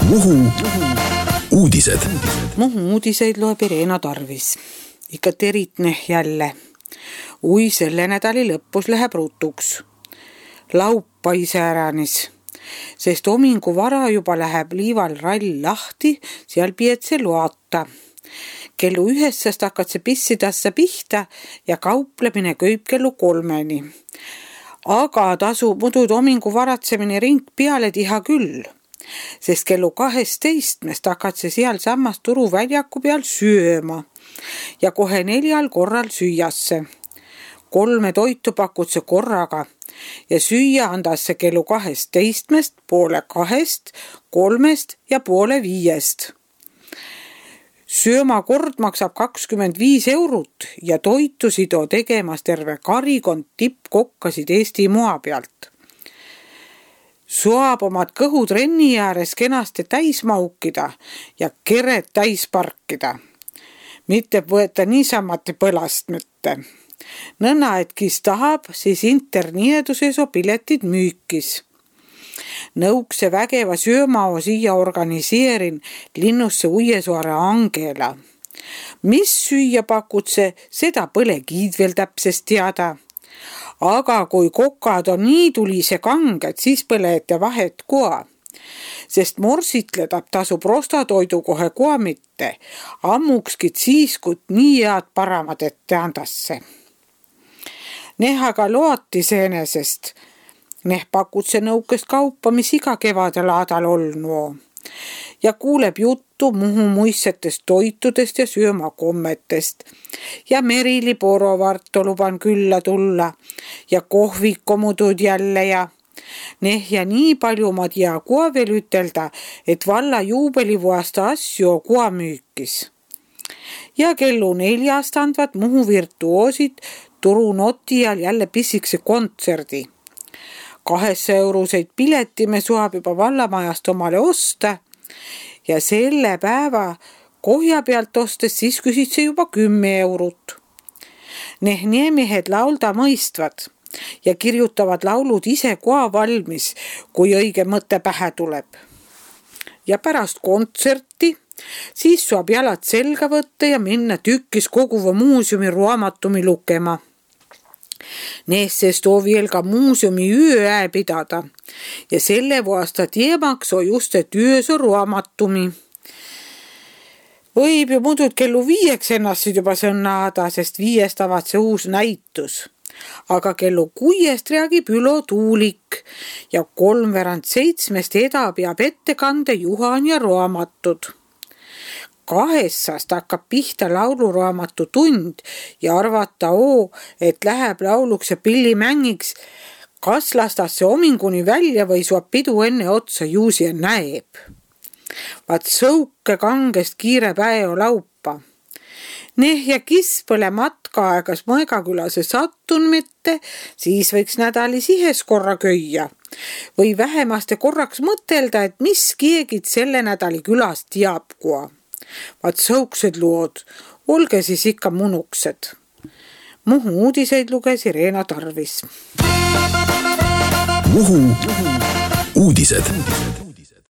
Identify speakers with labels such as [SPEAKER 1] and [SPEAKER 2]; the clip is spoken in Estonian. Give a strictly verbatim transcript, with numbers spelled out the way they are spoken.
[SPEAKER 1] Muhu uudised.
[SPEAKER 2] Muhu uudiseid loeb Irena Tarvis. Ikka teritne jälle. Ui selle nädali lõpus läheb rutuks. Laupa iseäranis. Sest omingu vara juba läheb liival rall lahti, seal pietse loata. Kellu ühessast hakkad see pissidassa pihta ja kauplemine kööb kellu kolmeni. Aga tasub mudud omingu varatsemine ring peale tiha küll, sest kellu kaheteistkümnest hakkad see seal samas turuväljaku peal sööma ja kohe neljal korral süüasse. Kolme toitu pakud see korraga ja süüa andas see kellu kaheteistkümnest, poole kahest, kolmest ja poole viiest. Sööma kord maksab kakskümmend viis eurot ja toitu sido tegemas terve karikond tippkokkasid Eesti moa pealt. Soab omad kõhud renni ääres kenasti täis maukida ja keret täis parkida. Mitte võeta niisamati põlast mitte. Nõnna, et kes tahab, siis internieduses o piletid müükis. Nõukse vägeva söömao siia organiseerin linnusse Uiesaare Angela. Mis süüa pakutse, seda põle kiid veel täpsest teada. Aga kui kokad on nii tulise kanged, siis põlete vahet koa. Sest morsitledab tasub rostatoidu kohe koa mitte. Ammukskid siis, kui nii head paramad ette andasse. Nehaga loati seenesest. Neh pakutse nõukest kaupa, mis iga kevadel aadal olnu. Ja kuuleb juttu Muhu muissetest toitudest ja söömakommetest. Ja Merili Porovarto luban külla tulla. Ja kohvikomudud jälle ja neh ja nii palju ma tea koa veel ütelda, et valla juubelivuasta asju koa müükis. Ja kellu neljast andvad Muhu virtuoosid turu notial jälle pissikse kontserdi. Kahessa euroseid pileti me suab juba vallamajast omale osta ja selle päeva kohja pealt ostes siis küsid see juba kümme eurot. Neh niemehed laulda mõistvad ja kirjutavad laulud ise koa valmis, kui õige mõte pähe tuleb. Ja pärast kontserti siis saab jalad selga võtta ja minna tükkis koguva muuseumi raamatumi lukema. Neessest on veel ka muuseumi ööä pidada ja selle vuasta teemaks on just, et öös on raamatumi. Võib ju mudud kellu viieks ennast juba sõnnaada, sest viiest avad see uus näitus. Aga kellu kuiest reagib Ülo Tuulik ja kolmveerand seitsmest eda peab ettekande Juhan ja raamatud. Kahessast hakkab pihta lauluraamatu tund ja arvata oo, et läheb lauluks ja pillimängiks. Kas lastas see ominguni välja või suab pidu enne otsa juusi ja näeb. Vaat sõuke kangest kiire päev laupa. Neh ja kis põle matka aegas Mõegakülase sattun mitte, siis võiks nädalis ihes korra köia. Või vähemaste korraks mõtelda, et mis keegid selle nädali külas teab koa. Vaat sõuksed lood, olge siis ikka munuksed. Muhu uudiseid luges Irena Tarvis.
[SPEAKER 1] Muhu uudised.